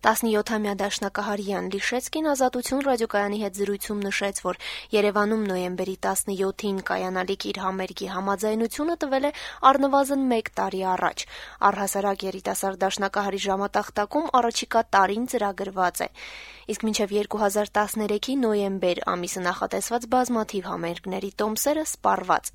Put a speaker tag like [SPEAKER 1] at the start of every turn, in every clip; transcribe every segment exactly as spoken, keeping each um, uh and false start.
[SPEAKER 1] տասնյոթամյա դաշնակահար Յան Լիշեցկին Ազատություն ռադիոկայանի հետ զրույցում նշեց, որ Երևանում նոյեմբերի տասնյոթին կայանալիք իր համերգի համաձայնությունը տվել է առնվազն մեկ տարի առաջ։ Առհասարակ երիտասարդ դաշնակահարի ժամատախտակում առաջիկա տարին ծրագրված է։ Իսկ մինչև երկու հազար տասներեքի նոյեմբեր ամիսը նախատեսված բազմաթիվ համերգների տոմսերը սպառված։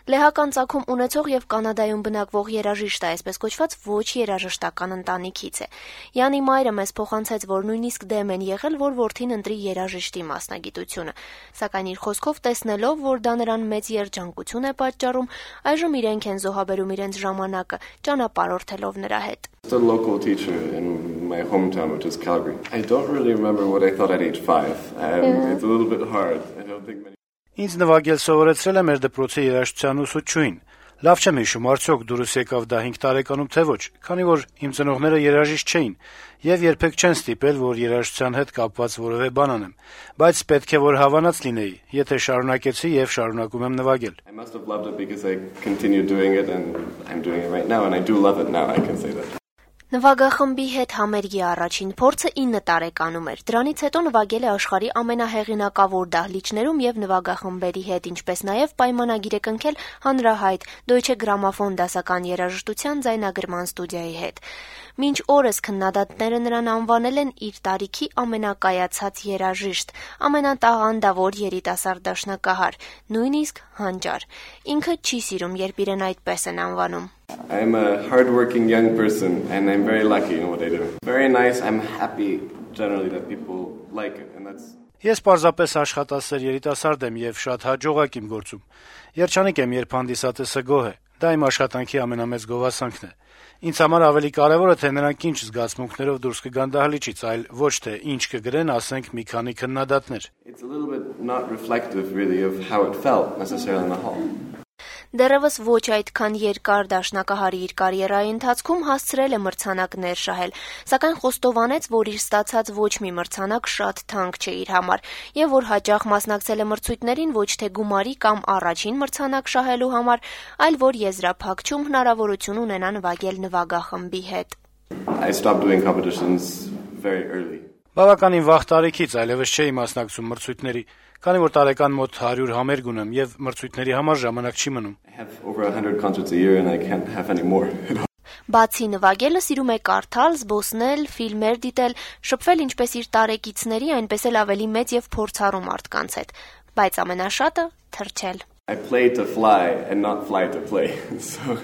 [SPEAKER 1] Լեհական ծագում ունեցող եւ Կանադայում բնակվող երաժիշտը այսպես կոչված ոչ երաժշտական ընտանիքից է։ Յանի մայրը մեզ փոխանցեց, որ նույնիսկ դեմ են եղել, որ որդին ընտրի երաժիշտի մասնագիտությունը, սակայն իր խոսքով տեսնելով, որ դա նրան մեծ երջանկություն է պատճառում, այժմ իրենք են զոհաբերում իրենց ժամանակը, ճանապարհորդելով նրա հետ։
[SPEAKER 2] A local teacher in my hometown, which is Calgary. I don't really remember what I thought at age five. Um, yeah. It's a little bit hard. I don't think many.
[SPEAKER 3] Ինձ նվագել սովորեցրել է մեր դպրոցի երաժշտության ուսուցչուհին։ Լավ չեմ հիշում, արդյոք դուրս եկավ դա հինգ տարեկանում թե ոչ, քանի որ իմ ծնողները երաժիշտ չէին եւ երբեք չեն ստիպել, որ երաժշտության հետ կապված որևէ բան անեմ, բայց պետք է որ հավանած լինեի, եթե շարունակեցի եւ շարունակում եմ նվագել։
[SPEAKER 2] I must have loved it because I continued doing it and I'm doing it right now and I do love it now, I can say that.
[SPEAKER 1] Նվագախմբի հետ համերգի առաջին փորձը ինը տարեկանում էր։ Դրանից հետո նվագել է աշխարհի ամենահեղինակավոր դահլիճներում եւ նվագախմբերի հետ, ինչպես նաեւ պայմանագիր է կնքել հանրահայտ Deutsche Grammophon դասական երաժշտության ձայնագրման ստուդիայի հետ։ Մինչ օրս քննադատները նրան անվանել են իր տարիքի ամենակայացած երաժիշտ, ամենատաղանդավոր երիտասարդ դաշնակահար, նույնիսկ հանճար։ Ինքը չի սիրում, երբ իրեն այդպես են անվանում։
[SPEAKER 2] I'm a hardworking young person and I'm very lucky in what I do. Very nice, I'm happy generally that people like it and that's
[SPEAKER 3] Ես պարզապես աշխատասեր երիտասարդ եմ եւ շատ հաջողակ իմ գործում։ Երջանիկ եմ, երբ հանդիսատեսը գոհ է։ Դա իմ աշխատանքի ամենամեծ գովասանքն է։ Ինձ համար ավելի կարեւոր է, թե նրանք ինչ զգացմունքներով դուրս կգան դահլիճից, այլ ոչ թե ինչ կգրեն, ասենք, մի քանի քննադատներ։
[SPEAKER 2] It's a little bit not reflective really of how it felt necessarily in the hall.
[SPEAKER 1] Դեռևս ոչ այդքան երկար դաշնակահարի իր կարիերայի ընթացքում հասցրել է մրցանակներ շահել, սակայն խոստովանեց, որ իր ստացած ոչ մի մրցանակ շատ թանկ չէ իր համար, եւ որ հաճախ մասնակցել է մրցույթներին ոչ թե գումարի կամ առաջին մրցանակ շահելու համար, այլ որ եզրափակչում հնարավորություն ունենա նվագել նվագախմբի հետ։
[SPEAKER 2] I stopped doing competitions very early.
[SPEAKER 3] Բավականին վաղ տարիքից այլևս չէի մասնակցում մրցույթների, քանի որ տարեկան մոտ հարյուր համերգ ունեմ եւ մրցույթների համար ժամանակ չի մնում։
[SPEAKER 2] I have over one hundred concerts a year and I can't have any more.
[SPEAKER 1] Բացի նվագելը սիրում է կարդալ, զբոսնել, ֆիլմեր դիտել, շփվել ինչպես իր տարեկիցների, այնպես էլ ավելի մեծ եւ փորձառու մարդկանց հետ, բայց ամենաշատը թռչել։
[SPEAKER 2] I play to fly and not fly to play. So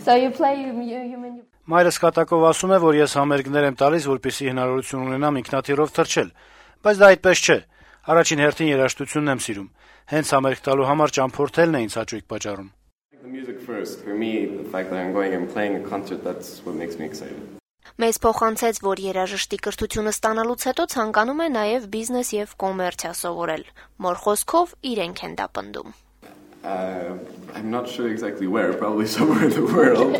[SPEAKER 1] So you play you, you mean you...
[SPEAKER 3] Մայրս կատակով ասում է, որ ես համերգներ եմ տալիս, որպեսզի հնարավորություն ունենամ ինքնաթիռով թռչել, բայց դա այդպես չէ։ Առաջին հերթին երաժշտությունն եմ սիրում։ Հենց համերգ տալու համար ճամփորդելն է ինձ հաճույք պատճառում։
[SPEAKER 2] the music first. For me, the fact that I'm going and playing a concert, that's what makes me excited.
[SPEAKER 1] Մեզ փոխանցեց, որ երաժշտի կրթությունը ստանալուց հետո ցանկանում է նաև բիզնես եւ կոմերցիա սովորել։ Մոր խոսքով իրենք են դա պնդում։
[SPEAKER 2] Uh, I'm not sure exactly where, probably somewhere in the world.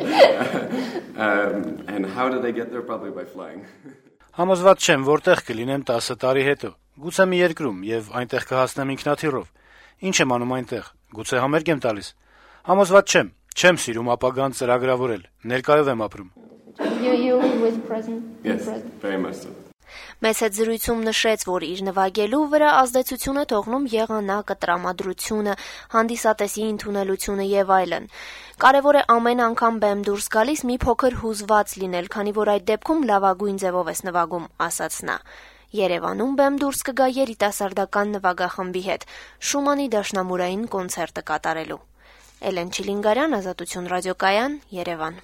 [SPEAKER 2] um, and how did I get there? Probably by flying.
[SPEAKER 3] Համոզված չեմ, որտեղ կլինեմ տասը տարի հետո։ Գուցե մի երկրում եւ այնտեղ կհասնեմ ինքնաթիռով։ Ինչ եմ անում այնտեղ։ Գուցե համերգ եմ տալիս։ Համոզված չեմ, չեմ սիրում ապագան ծրագրավորել։ Ներկայով եմ ապրում։
[SPEAKER 1] You you with present.
[SPEAKER 2] Yes, very much so.
[SPEAKER 1] Մեծ հետ զրույցում նշեց, որ իր նվագելու վրա ազդեցություն է թողնում եղանակը, տրամադրությունը, հանդիսատեսի ընդունելությունը եւ այլն։ Կարևոր է ամեն անգամ բեմ դուրս գալիս մի փոքր հուզված լինել, քանի որ այդ դեպքում լավագույն ձևով ես նվագում, ասաց նա։ Երևանում բեմ դուրս կգա երիտասարդական նվագախմբի հետ Շումանի դաշնամուրային կոնցերտը կատարելու։ Էլեն Չիլինգարյան, Ազատություն ռադիոկայան, Երևան։